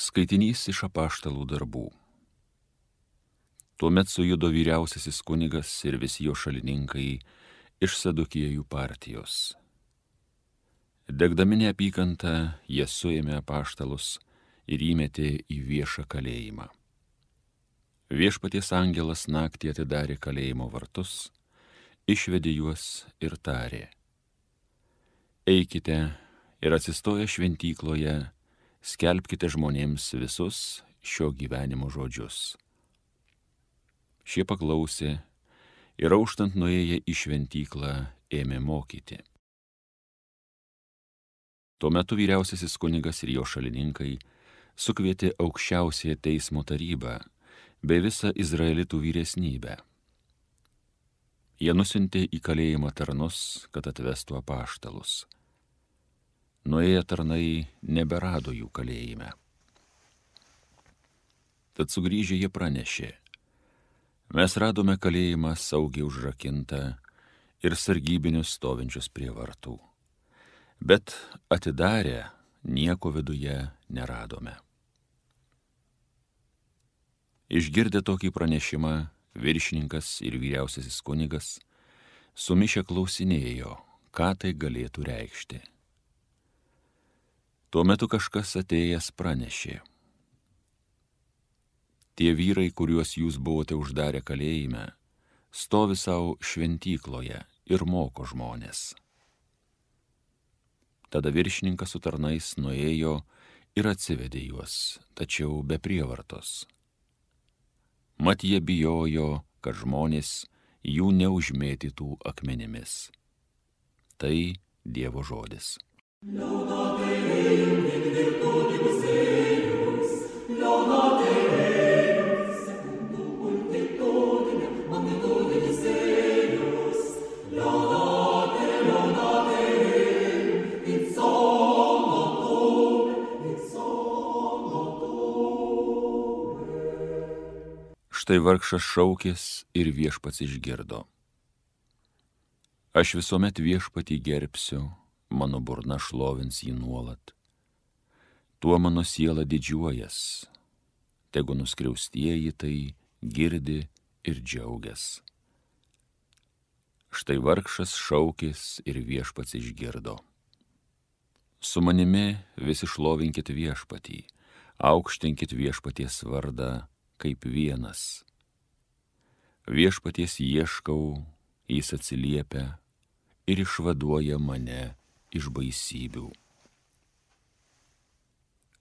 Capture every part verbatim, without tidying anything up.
Skaitinys iš apaštalų darbų. Tuomet sujudo vyriausiasis kunigas ir visi jo šalininkai iš Sadukiejų partijos. Degdami neapykantą, jie suėmė apaštalus ir įmetė į viešą kalėjimą. Viešpaties angelas naktį atidarė kalėjimo vartus, išvedė juos ir tarė: Eikite ir atsistoję šventykloje, skelbkite žmonėms visus šio gyvenimo žodžius. Šie paklausė ir auštant nuėję į šventyklą ėmė mokyti. Tuo metu vyriausiasis kunigas ir jo šalininkai sukvietė aukščiausiąją teismo tarybą bei visą izraelitų vyresnybę. Jie nusiuntė į kalėjimą tarnus, kad atvestų apaštalus. Nuėję tarnai neberado jų kalėjime. Tad sugrįžę jie pranešė: Mes radome kalėjimą saugiai užrakintą ir sargybinius stovinčius prie vartų, bet atidarę nieko viduje neradome. Išgirdę tokį pranešimą, viršininkas ir vyriausiasis kunigas sumišę klausinėjo, ką tai galėtų reikšti. Tuo metu kažkas atėjęs pranešė: Tie vyrai, kuriuos jūs buvote uždarę kalėjime, stovi savo šventykloje ir moko žmonės. Tada viršininkas su tarnais nuėjo ir atsivedė juos, tačiau be prievartos. Mat jie bijojo, kad žmonės jų neužmėtytų akmenimis. Tai Dievo žodis. Laudate Deum in virtutibus eius, laudate Deum secundum multitudinem magnitudibus eius, laudate, laudate Deum in somnotum, in somnotum. Štai vargšas šaukės ir viešpats išgirdo. Aš visuomet viešpatį gerbsiu, mano burna šlovins jį nuolat. Tuo mano siela didžiuojas, tegu nuskriaustieji tai girdi ir džiaugias. Štai vargšas šaukės ir viešpats išgirdo. Su manimi visi šlovinkit viešpatį, aukštinkit viešpaties vardą kaip vienas. Viešpaties ieškau, jis atsiliepia ir išvaduoja mane iš baisybių.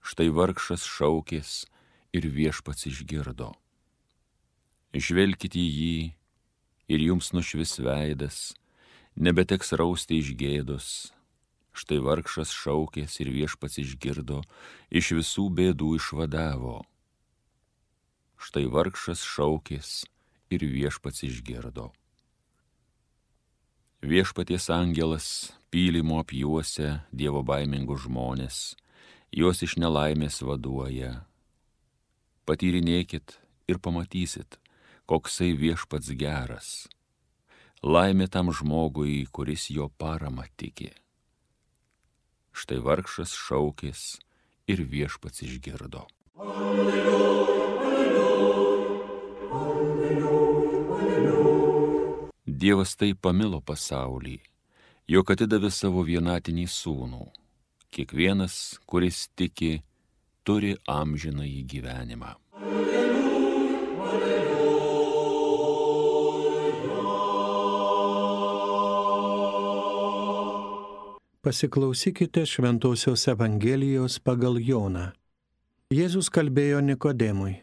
Štai vargšas šaukės ir viešpats išgirdo. Žvelkite į jį ir jums nušvis veidas, nebeteks rausti iš gėdos. Štai vargšas šaukės ir viešpats išgirdo, iš visų bėdų išvadavo. Štai vargšas šaukės ir viešpats išgirdo. Viešpaties angelas pylimo apjuosia Dievo baimingus žmonės, juos iš nelaimės vaduoja. Patyrinėkit ir pamatysit, koksai viešpats geras. Laimė tam žmogui, kuris jo parama tiki. Štai vargšas šaukės ir viešpats išgirdo. Alleluja, alleluja, alleluja, alleluja. Dievas taip pamilo pasaulį, jog atidavė savo vienatinį sūnų. Kiekvienas, kuris tiki, turi amžinąjį gyvenimą. Alleluja, alleluja. Pasiklausykite Šventosios Evangelijos pagal Joną. Jėzus kalbėjo Nikodemui: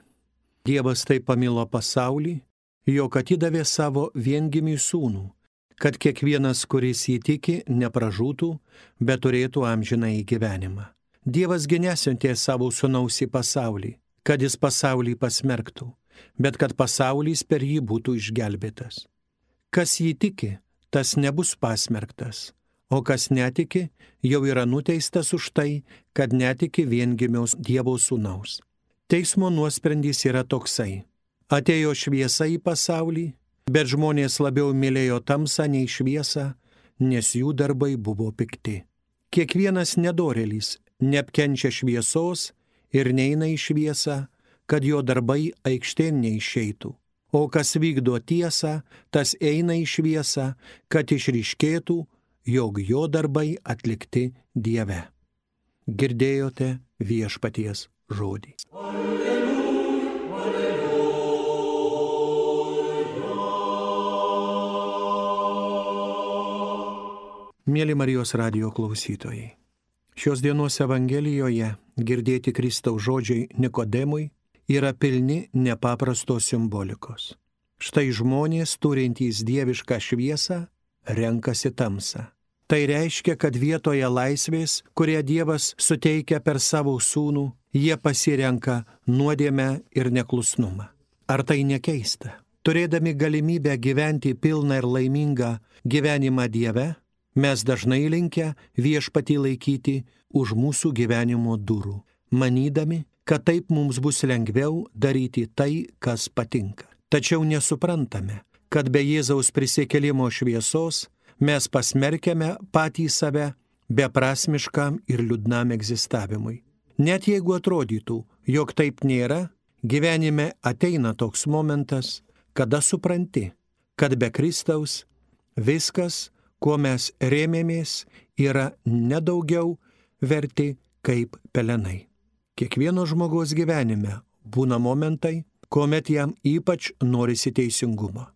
Dievas taip pamilo pasaulį, jog atidavė savo viengimį sūnų, kad kiekvienas, kuris jį tiki, nepražūtų, bet turėtų amžinąjį gyvenimą. Dievas gi nesiuntė savo sūnaus į pasaulį, kad jis pasaulį pasmerktų, bet kad pasaulis per jį būtų išgelbėtas. Kas jį tiki, tas nebus pasmerktas, o kas netiki, jau yra nuteistas už tai, kad netiki viengimiaus Dievo sūnaus. Teismo nuosprendis yra toksai: atėjo šviesa į pasaulį, bet žmonės labiau mylėjo tamsą nei šviesą, nes jų darbai buvo pikti. Kiekvienas nedorėlis neapkenčia šviesos ir neina į šviesą, kad jo darbai aikštėn neišeitų. O kas vykdo tiesą, tas eina į šviesą, kad išryškėtų, jog jo darbai atlikti Dieve. Girdėjote viešpaties žodį. Mėly Marijos radijo klausytojai, šios dienos Evangelijoje girdėti Kristaus žodžiai Nikodemui yra pilni nepaprastos simbolikos. Štai žmonės, turintys dievišką šviesą, renkasi tamsą. Tai reiškia, kad vietoje laisvės, kurią Dievas suteikia per savo sūnų, jie pasirenka nuodėmę ir neklusnumą. Ar tai nekeista? Turėdami galimybę gyventi pilną ir laimingą gyvenimą Dieve, mes dažnai linkę viešpatį laikyti už mūsų gyvenimo durų, manydami, kad taip mums bus lengviau daryti tai, kas patinka. Tačiau nesuprantame, kad be Jėzaus prisikėlimo šviesos mes pasmerkiame patį save beprasmiškam ir liūdnam egzistavimui. Net jeigu atrodytų, jog taip nėra, gyvenime ateina toks momentas, kada supranti, kad be Kristaus viskas, kuo mes rėmėmės, yra nedaugiau verti kaip pelenai. Kiekvieno žmogaus gyvenime būna momentai, kuomet jam ypač norisi teisingumo,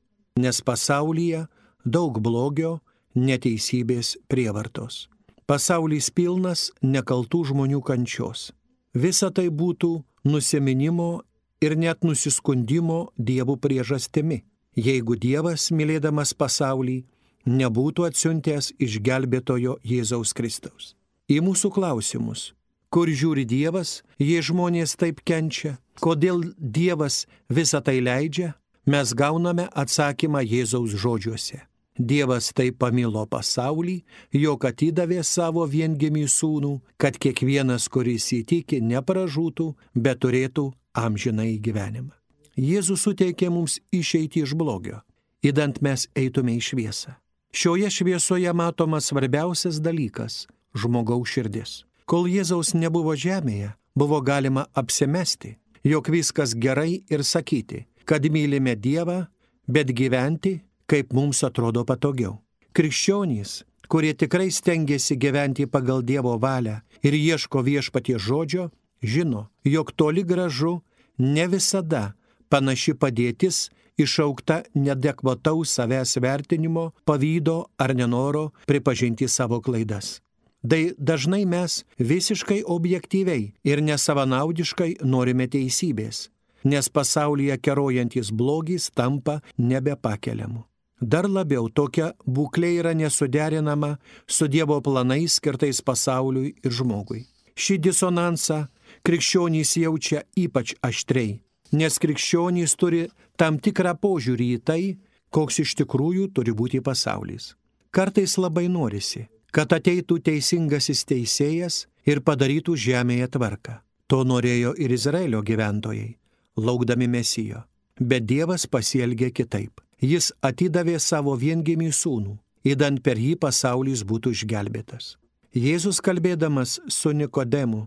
nes pasaulyje daug blogio, neteisybės, prievartos. Pasaulis pilnas nekaltų žmonių kančios. Visa tai būtų nusiminimo ir net nusiskundimo Dievo priežastimi, jeigu Dievas, mylėdamas pasaulį, nebūtų atsiuntęs išgelbėtojo Jėzaus Kristaus. Į mūsų klausimus, kur žiūri Dievas, jei žmonės taip kenčia, kodėl Dievas visą tai leidžia, mes gauname atsakymą Jėzaus žodžiuose. Dievas taip pamilo pasaulį, jog atidavė savo viengimį sūnų, kad kiekvienas, kuris įtiki, nepražūtų, bet turėtų amžinąjį gyvenimą. Jėzus suteikė mums išeiti iš blogio, idant mes eitume į šviesą. Šioje šviesoje matomas svarbiausias dalykas – žmogaus širdis. Kol Jėzaus nebuvo žemėje, buvo galima apsimesti, jog viskas gerai ir sakyti, kad mylime Dievą, bet gyventi, kaip mums atrodo patogiau. Krikščionys, kurie tikrai stengiasi gyventi pagal Dievo valią ir ieško viešpaties žodžio, žino, jog toli gražu ne visada panaši padėtis išaukta neadekvataus savęs vertinimo, pavydo ar nenoro pripažinti savo klaidas. Tai dažnai mes visiškai objektyviai ir nesavanaudiškai norime teisybės, nes pasaulyje kerojantis blogis tampa nebepakeliamu. Dar labiau tokia būklė yra nesuderinama su Dievo planais skirtais pasauliui ir žmogui. Šį disonansą krikščionys jaučia ypač aštriai, nes krikščionys turi tam tikrą požiūrį į tai, koks iš tikrųjų turi būti pasaulis. Kartais labai norisi, kad ateitų teisingasis teisėjas ir padarytų žemėje tvarką. To norėjo ir Izraelio gyventojai, laukdami Mesijo. Bet Dievas pasielgė kitaip. Jis atidavė savo viengimį sūnų, idant per jį pasaulis būtų išgelbėtas. Jėzus, kalbėdamas su Nikodemu,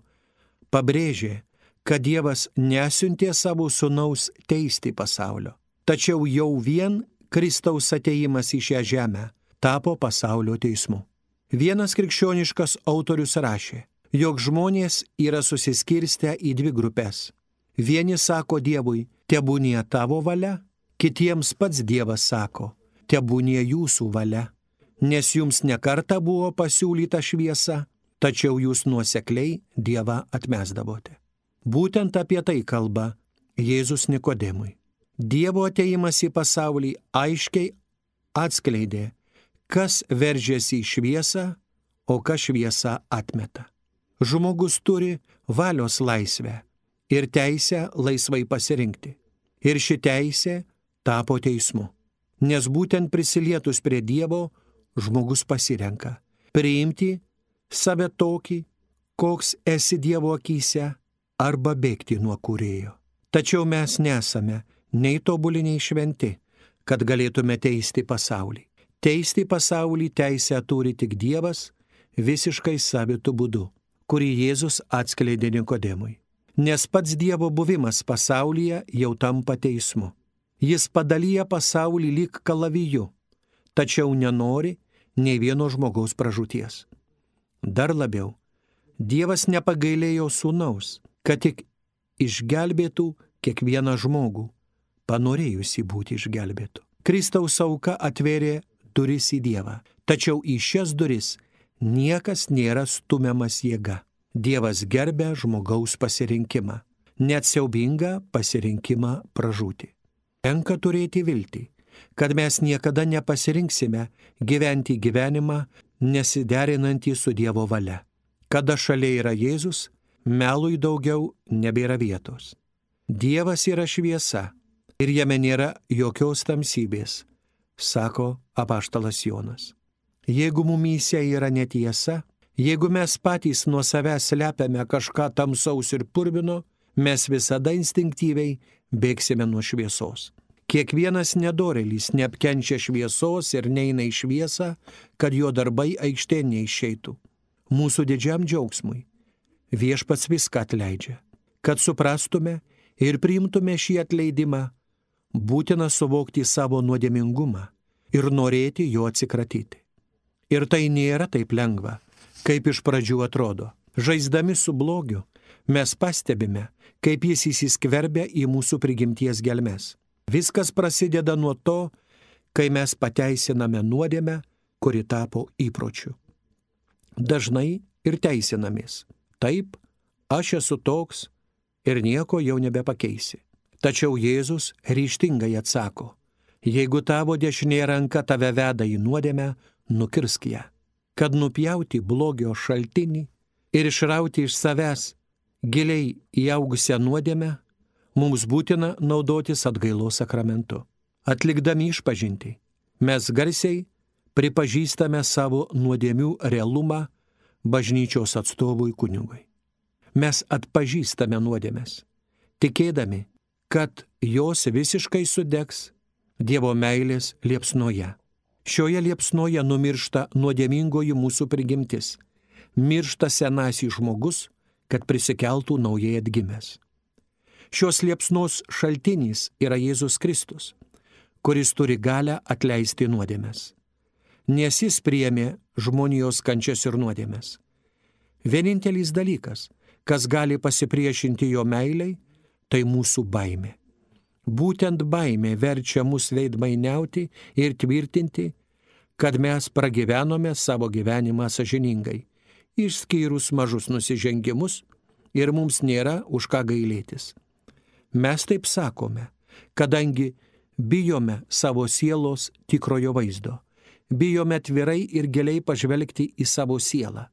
pabrėžė, kad Dievas nesiuntė savo sūnaus teisti pasaulio, tačiau jau vien Kristaus atėjimas į šią žemę tapo pasaulio teismu. Vienas krikščioniškas autorius rašė, jog žmonės yra susiskirstę į dvi grupės. Vieni sako Dievui, tebūnie tavo valia, kitiems pats Dievas sako, tebūnie jūsų valia, nes jums nekarta buvo pasiūlyta šviesa, tačiau jūs nuosekliai Dievą atmesdavote. Būtent apie tai kalba Jėzus Nikodemui. Dievo atėjimas į pasaulį aiškiai atskleidė, kas veržiasi į šviesą, o kas šviesą atmeta. Žmogus turi valios laisvę ir teisę laisvai pasirinkti. Ir ši teisė tapo teismu, nes būtent prisilietus prie Dievo žmogus pasirenka priimti save tokį, koks esi Dievo akyse, arba bėgti nuo Kūrėjo. Tačiau mes nesame nei tobuli, nei šventi, kad galėtume teisti pasaulį. Teisti pasaulį teisę turi tik Dievas visiškai savitu būdu, kurį Jėzus atskleidė Nikodemui. nes pats Dievo buvimas pasaulyje jau tampa teismu. Jis padalyja pasaulį lyg kalaviju, tačiau nenori nei vieno žmogaus pražūties. Dar labiau, Dievas nepagailėjo sūnaus, kad tik išgelbėtų kiekvieną žmogų, panorėjusi būti išgelbėtų. Kristaus auka atvėrė duris į Dievą, tačiau į šias duris niekas nėra stumiamas jėga. Dievas gerbia žmogaus pasirinkimą, net siaubingą pasirinkimą pražūti. Tenka turėti viltį, kad mes niekada nepasirinksime gyventi gyvenimą nesiderinantį su Dievo valia. Kada šalia yra Jėzus, melui daugiau nebėra vietos. Dievas yra šviesa ir jame nėra jokios tamsybės, sako apaštalas Jonas. Jeigu mumyse yra netiesa, jeigu mes patys nuo savęs slepiame kažką tamsaus ir purvino, mes visada instinktyviai bėgsime nuo šviesos. Kiekvienas nedorėlis neapkenčia šviesos ir neina į šviesą, kad jo darbai aikštėn neišeitų. Mūsų didžiam džiaugsmui Viešpats viską atleidžia. Kad suprastume ir priimtume šį atleidimą, būtina suvokti savo nuodėmingumą ir norėti jo atsikratyti. Ir tai nėra taip lengva, kaip iš pradžių atrodo. Žaisdami su blogiu, mes pastebime, kaip jis įsiskverbia į mūsų prigimties gelmes. Viskas prasideda nuo to, kai mes pateisiname nuodėmę, kuri tapo įpročiu. Dažnai ir teisinamės. Taip, aš esu toks ir nieko jau nebepakeisi. Tačiau Jėzus ryžtingai atsako, jeigu tavo dešinė ranka tave veda į nuodėmę, nukirsk ją. Kad nupjauti blogio šaltinį ir išrauti iš savęs giliai įaugusią nuodėmę, mums būtina naudotis atgailos sakramentu. Atlikdami išpažintį, mes garsiai pripažįstame savo nuodėmių realumą bažnyčios atstovui kunigui. Mes atpažįstame nuodėmes, tikėdami, kad jos visiškai sudegs Dievo meilės liepsnoje. Šioje liepsnoje numiršta nuodėmingoji mūsų prigimtis, miršta senasis žmogus, kad prisikeltų naujai atgimęs. Šios liepsnos šaltinis yra Jėzus Kristus, kuris turi galią atleisti nuodėmes. Nes jis priėmė žmonijos kančias ir nuodėmes. Vienintelis dalykas, kas gali pasipriešinti jo meilei, tai mūsų baimė. Būtent baimė verčia mus veidmainiauti ir tvirtinti, kad mes pragyvenome savo gyvenimą sąžiningai, išskyrus mažus nusižengimus ir mums nėra už ką gailėtis. Mes taip sakome, kadangi bijome savo sielos tikrojo vaizdo, bijome atvirai ir giliai pažvelgti į savo sielą.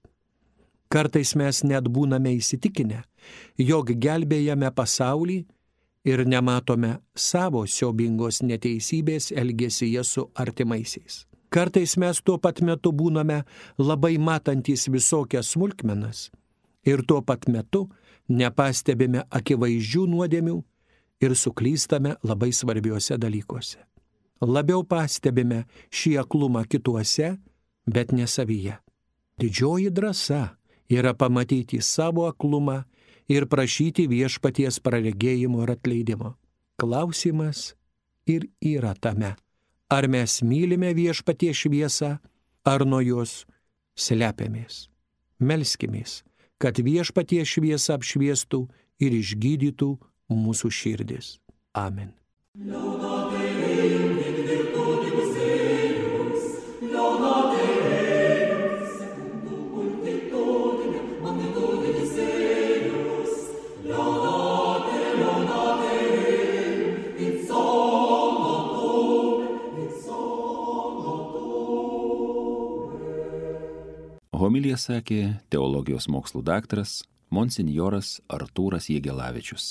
Kartais mes net būname įsitikinę, jog gelbėjame pasaulį ir nematome savo siaubingos neteisybės elgesyje su artimaisiais. Kartais mes tuo pat metu būname labai matantys visokias smulkmenas ir tuo pat metu nepastebime akivaizdžių nuodėmių ir suklystame labai svarbiuose dalykuose. Labiau pastebime šį aklumą kituose, bet ne savyje. Didžioji drąsa yra pamatyti savo aklumą ir prašyti viešpaties praregėjimo ir atleidimo. Klausimas ir yra tame, ar mes mylime viešpaties šviesą, ar nuo jos slepiamės. Melskimės, kad viešpaties šviesa apšviestų ir išgydytų mūsų širdis. Amen. Homiliją sakė teologijos mokslų daktaras monsinjoras Artūras Jegelavičius.